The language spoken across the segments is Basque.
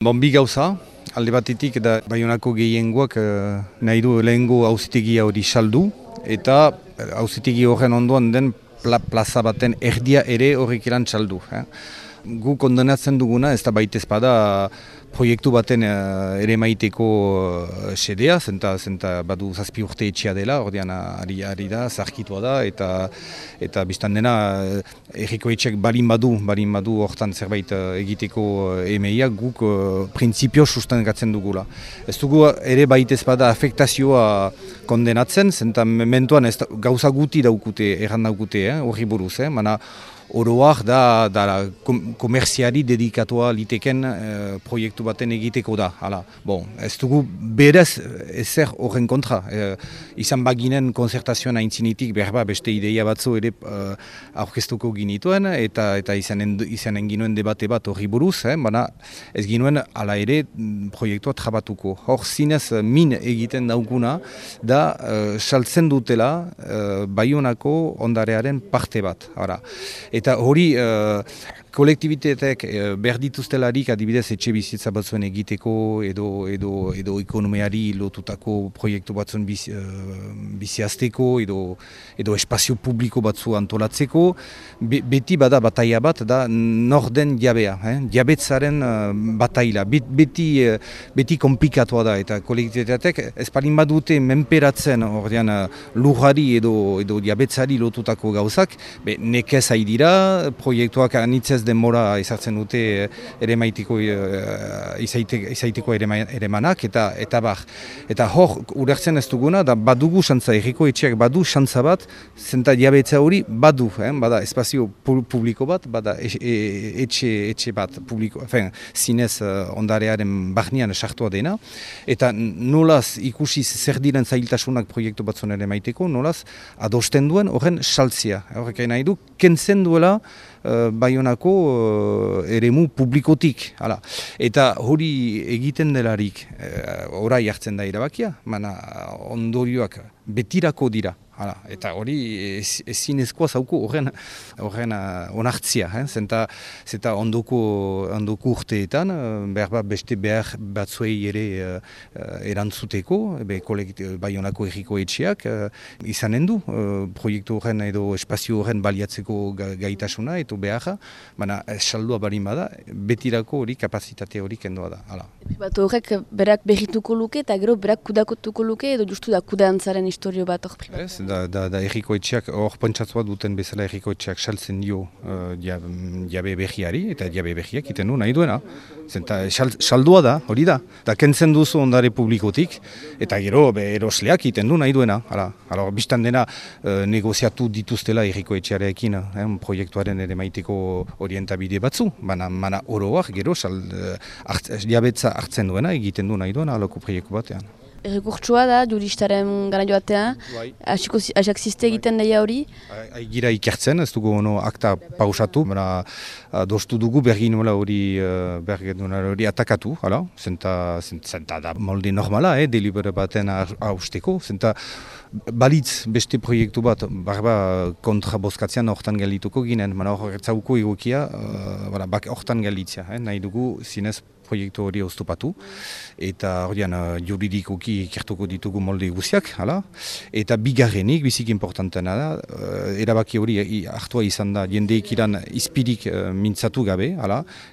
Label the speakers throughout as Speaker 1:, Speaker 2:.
Speaker 1: Bi gauza, alde batetik da Baionako gehiengoak nahi du lehengo auzitegia hori saldu eta auzitegi horren ondoan den plaza baten erdia ere horrek iran saldu. Gu kondenatzen duguna ez da baitez bada proiektu baten ere maiteko sedea, zenta badu 7 urte etxea dela, ordean ari da, zarkitua da, eta biztan dena erriko etxeak balin badu hortan zerbait egiteko emeia, guk printzipio sustengatzen dugula. Ez dugu ere baitez bada afektazioa kondenatzen, zenta mementuan gauza guti daukute, erran daukute, horri buruz, mana oroak da komerziari dedikatua liteken proiektu baten egiteko da. Ez dugu berez ezer horren kontra. Izan baginen konzertazioan aintzinitik berba beste ideia batzu ere aurkeztuko ginituen eta izanen ginuen debate bat horri buruz, baina ez ginuen ala ere proiektua trabatuko. Hor zinez min egiten daukuna da saltzen dutela Baionako ondarearen parte bat. Eta hori kolektibitateak behar dituztelarik adibidez etxe bizitza batzuen egiteko edo ekonomiari lotutako proiektu batzuen biziazteko edo espazio publiko batzu antolatzeko. Beti bada bataia bat da norden jabea, jabetzaren bataila. Beti komplikatua da eta kolektibitateak ez palin badute menperatzen ordean lujari edo jabetzari lotutako gauzak, nekez dira proiektuak anitzez denbora izartzen dute ere maitiko izaiteko ere manak eta bar. Eta hor, urertzen ez duguna, da badugu xantza, erriko etxeak badu xantza bat, zenta diabetza hori badu, bada espazio publiko bat, bada etxe bat publiko, zinez ondarearen barnean sartua dena, eta nolaz ikusi zer diren zailtasunak proiektu batzuen ere maiteko, nolaz adosten duen horren saltzia. Horrek nahi du, kentzen duela Baionako eremu publikotik. Eta hori egiten delarik orai hartzen da erabakia, mana ondorioak betirako dira. Eta hori ezinezkoa zauku horren onartzia. Zenta ondoko urteetan beste behar batzuei ere erantzuteko, Baionako erriko etxeak izanen du proiektu horren edo espazio horren baliatzeko gaitasuna eta beharra, baina saldua barin bada, betirako hori kapazitate hori kendoa da.
Speaker 2: Bat horrek berak berrituko luke eta gero berak kudakotuko luke edo justu da kudantzaren historio bat hor pribatu?
Speaker 1: Da erriko etxeak, hor pentsatua duten bezala erriko etxeak saltzen dio jabe behiari, eta jabe behiak iten du nahi duena. Zenta saldua da, hori da. Da kentzen duzu ondare publikotik, eta gero erosleak iten du nahi duena. Bistan dena negoziatu dituztela erriko etxearekin proiektuaren ere maiteko orientabide batzu, baina oroak gero jabetza hartzen duena, egiten du nahi duena aloko proiektu batean.
Speaker 2: Errekurtsua da, juristaren gara joatea, asak ziste egiten daia hori?
Speaker 1: Gira ikertzen, ez dugu akta pausatu, dostu dugu bergin hori atakatu, zenta da molde normala, delibere baten hausteko, zenta balitz beste proiektu bat, kontra bozkatzean hortan geldituko ginen, horretzauko egokia hortan gelditzea, nahi dugu zinez proiektu hori oztopatu, eta juridikoki ikertuko ditugu molde guziak, eta bigarrenik, bizik importantena da, erabaki hori hartua izan da jendeek iran izpirik mintzatu gabe,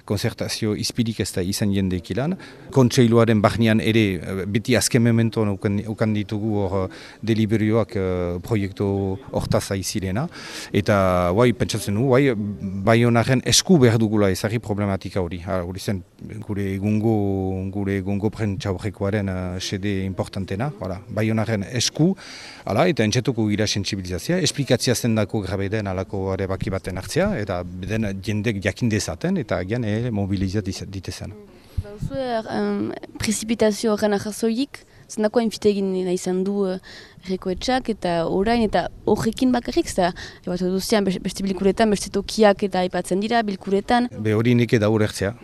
Speaker 1: konzertazio izpirik ez da izan jendeek iran, kontseiluaren barnean ere beti azken mementoan ukan ditugu hor deliberioak proiektu hortaz aizirena, eta pentsatzen du, Baionaren esku behar dugula ezari problematika hori, hori zen gure egungo prentxaurrekoaren sede importantena, Baionaren esku, eta entxetuko gira sensibilizazia, esplikazia zendako grabe den alako baki baten hartzea, eta den jendek jakin dezaten, eta agian mobilizat ditezen.
Speaker 2: Prezipitazio horren ahazoik, zendako hainfite egin izan du erreko etxak eta orain eta horrekin bakarrik, duzian beste bilkuretan, beste tokiak eta aipatzen dira bilkuretan.
Speaker 1: Hori neke da horretzea,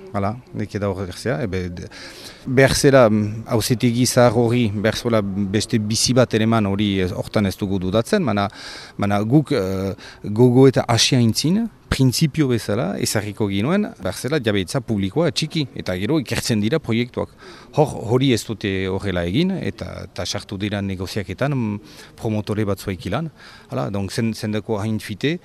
Speaker 1: behar zera hauzitegi zahar hori, behar zola beste bizi bat ereman hori hortan ez dugu dudatzen, mana guk gogo eta asia intzin, printzipio bezala ezarriko ginuen, berzela jabetza publikoa txiki, eta gero ikertzen dira proiektuak. Hori ez dute horrela egin, eta sartu dira negoziaketan promotore batzuek ilan. Donc zendako hain fite,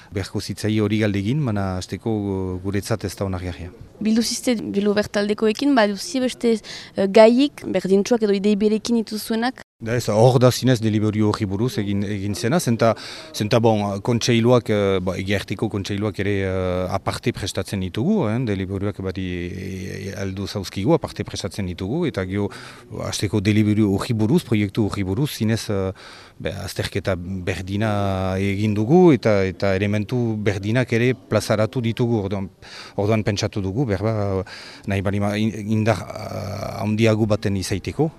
Speaker 1: beharko zitzai hori galdegin, mana azteko guretzat ez da onargarria.
Speaker 2: Bildu zizte bilo bertaldekoekin, duzi beste gaiik, berdintxuak edo idei berekin ituzuenak?
Speaker 1: Hor da zinez deliberio hori buruz egin zena, zenta bon, kontseiluak, egiartiko kontseiluak ere aparte prestatzen ditugu, deliberioak bari aldu zauzkigu, aparte prestatzen ditugu, eta gero azteko deliberio hori buruz, proiektu hori buruz, zinez azterketa berdina egin dugu, eta elementu berdinak ere plazaratu ditugu, orduan pentsatu dugu, berba nahi bali indar handiago baten izaiteko,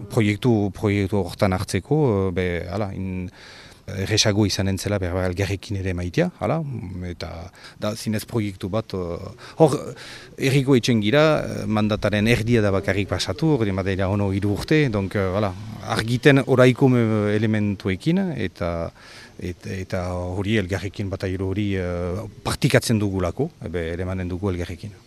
Speaker 1: proiektu hortan hartzeko, erresago izanen zela berba elgarrekin ere maitea, eta da zinez proiektu bat, hor erriko etxen gira, mandataren erdia da bakarrik pasatu, hori madera ono 3 urte, donc argiten oraiko elementuekin, eta hori elgarrekin bat hori partikatzen dugulako, ere manen dugu elgarrekin.